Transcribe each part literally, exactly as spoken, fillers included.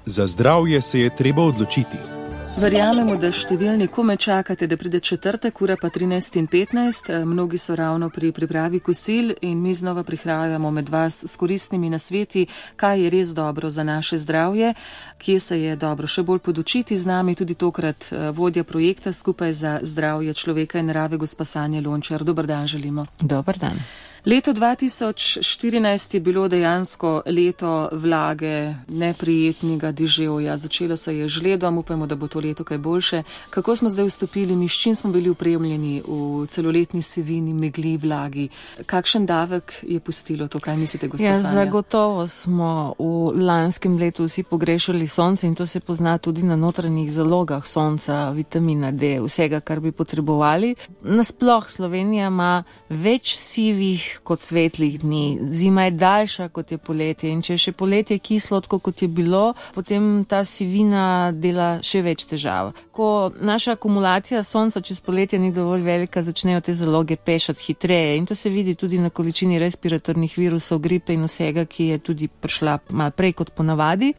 Za zdravje se je treba odločiti. Verjamemo, da številni kome čakate, da pride četrtek, ura pa trinajst in petnajst. Mnogi so ravno pri pripravi kosil in mi znova prihajamo med vas s koristnimi nasveti, kaj je res dobro za naše zdravje, kje se je dobro še bolj podučiti. Z nami tudi tokrat vodja projekta Skupaj za zdravje človeka in narave, gospa Sanja Lončar. Dober dan želimo. Dober dan. Leto dva tisoč štirinajst je bilo dejansko leto vlage, neprijetnega deževja. Začelo se je žledom, upajmo, da bo to leto kaj boljše. Kako smo zdaj vstopili, mi s čim smo bili opremljeni v celoletni sivini, megli, vlagi? Kakšen davek je pustilo to, kaj mislite, gospa ja, Sanja? Zagotovo smo v lanskem letu vsi pogrešali sonce in to se pozna tudi na notranjih zalogah sonca, vitamina D, vsega, kar bi potrebovali. Nasploh Slovenija ima več sivih kot svetlih dni. Zima je daljša kot je poletje in če je še poletje kislo, tako kot je bilo, potem ta sivina dela še več težav. Ko naša akumulacija sonca čez poletje ni dovolj velika, začnejo te zaloge pešati hitreje in to se vidi tudi na količini respiratornih virusov, gripe in vsega, ki je tudi prišla malo prej kot ponavadi.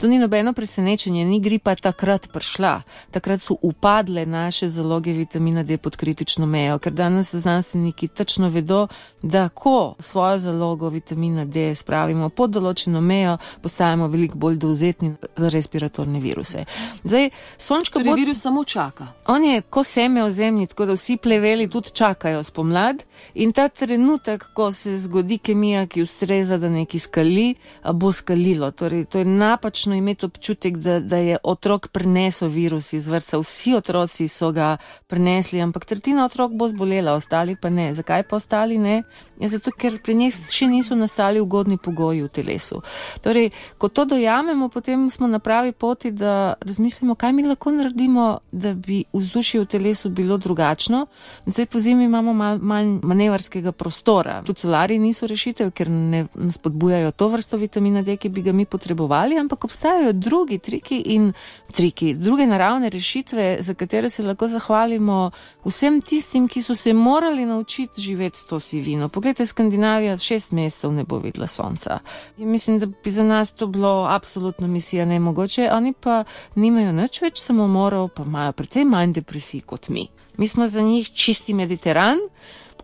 To ni nobeno presenečenje, ni gripa takrat prišla. Takrat so upadle naše zaloge vitamina D pod kritično mejo, ker danes znanstveniki točno vedo, da ko svojo zalogo vitamina D spravimo pod določeno mejo, postajamo veliko bolj dovzetni za respiratorne viruse. Zdaj, sončka bod... virus samo čaka. On je ko seme v zemlji, tako da vsi pleveli tudi čakajo spomlad in ta trenutek, ko se zgodi kemija, ki ustreza, da nekaj skali, bo skalilo. Torej, to je napačno imeti občutek, da, da je otrok prenesel virus iz vrtca. Vsi otroci so ga prenesli, ampak tretjina otrok bo zbolela, ostali pa ne. Zakaj pa ostali ne? Je zato, ker pri njih še niso nastali ugodni pogoji v telesu. Torej, ko to dojamemo, potem smo na pravi poti, da razmislimo, kaj mi lahko naredimo, da bi vzdušje v telesu bilo drugačno. Zdaj po zimi imamo mal, manj manevrskega prostora. Tudi solariji niso rešitev, ker ne spodbujajo to vrsto vitamina D, ki bi ga mi potrebovali, ampak obstajajo drugi triki in triki, druge naravne rešitve, za katere se lahko zahvalimo vsem tistim, ki so se morali naučiti živeti s to sivino. Poglejte, Skandinavija šest mesecev ne bo videla sonca. In mislim, da bi za nas to bilo absolutno misija nemogoče. Oni pa nimajo nič več samomorov, pa imajo precej manj depresij kot mi. Mi smo za njih čisti Mediteran.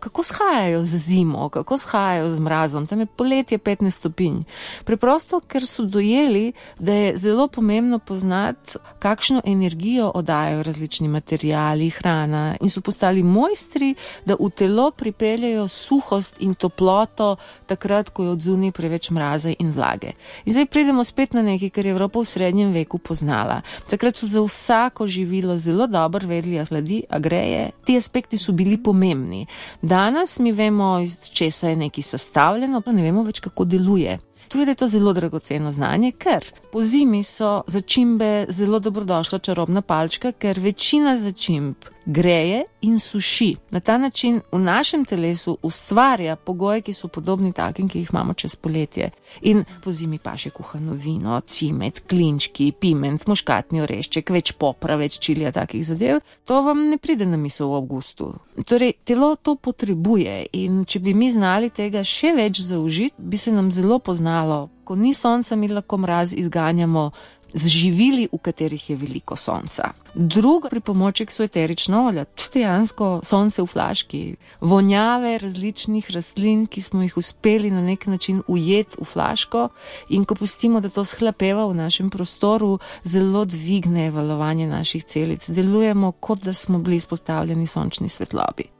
Kako shajajo z zimo, kako shajajo z mrazom, tam je poletje petnajst stopinj. Preprosto, ker so dojeli, da je zelo pomembno poznati, kakšno energijo oddajajo različni materiali, hrana in so postali mojstri, da v telo pripeljajo suhost in toploto takrat, ko je odzunaj preveč mraza in vlage. In zdaj pridemo spet na nekaj, kar je Evropa v srednjem veku poznala. Takrat so za vsako živilo zelo dobro vedeli, a hladi, a greje. Ti aspekti so bili pomembni. Danes mi vemo, iz česa je nekaj sestavljeno, pa ne vemo več, kako deluje. Tudi je to zelo dragoceno znanje, ker po zimi so začimbe zelo dobrodošla čarobna palčka, ker večina začimb greje in suši. Na ta način v našem telesu ustvarja pogoje, ki so podobni takim, ki jih imamo čez poletje. In po zimi pa še kuhano vino, cimet, klinčki, piment, muškatni orešček, več popra, več čilija, takih zadev. To vam ne pride na misel v avgustu. Torej, telo to potrebuje in če bi mi znali tega še več zaužiti, bi se nam zelo poznalo. Ko ni sonca, mi lahko mraz izganjamo z živili, v katerih je veliko sonca. Drugi pripomoček so eterična olja, tudi dejansko sonce v flaški, vonjave različnih rastlin, ki smo jih uspeli na nek način ujeti v flaško in ko pustimo, da to shlapeva v našem prostoru, zelo dvigne valovanje naših celic. Delujemo, kot da smo bili izpostavljeni sončni svetlobi.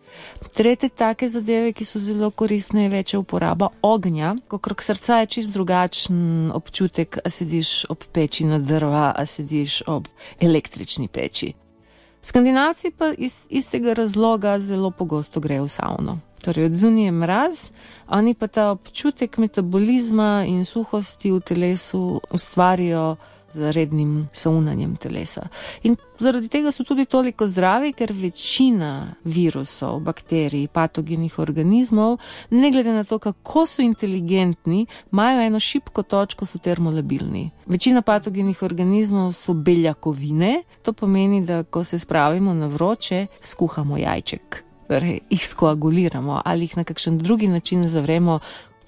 Tretje take zadeve, ki so zelo koristne, je večja uporaba ognja. Okrog srca je čist drugačen občutek, a sediš ob peči na drva, a sediš ob električni peči. Skandinavci pa iz istega razloga zelo pogosto grejo v savno. Torej, odzunaj je mraz, oni pa ta občutek metabolizma in suhosti v telesu ustvarijo z rednim saunanjem telesa. In zaradi tega so tudi toliko zdravi, ker večina virusov, bakterij, patogenih organizmov, ne glede na to, kako so inteligentni, imajo eno šibko točko, so termolabilni. Večina patogenih organizmov so beljakovine, to pomeni, da ko se spravimo na vroče, skuhamo jajček. Torej, jih skoaguliramo ali jih na kakšen drugi način zavremo.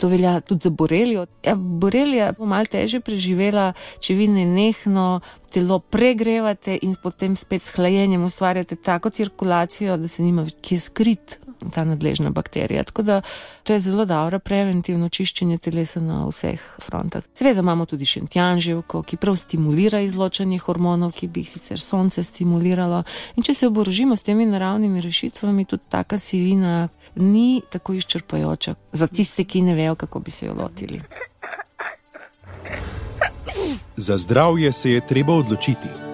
To velja tudi za borelijo. Ja, borelija bo malo težje preživela, če vi nenehno telo pregrevate in potem spet s hlajenjem ustvarjate tako cirkulacijo, da se nima kje skrit ta nadležna bakterija. Tako da to je zelo dobro preventivno čiščenje telesa na vseh frontah. Seveda imamo tudi šentjanževko, ki prav stimulira izločanje hormonov, ki bi jih sicer sonce stimuliralo. In če se oborožimo s temi naravnimi rešitvami, tudi taka sivina ni tako izčrpajoča za tiste, ki ne vejo, kako bi se jo lotili. Za zdravje se je treba odločiti.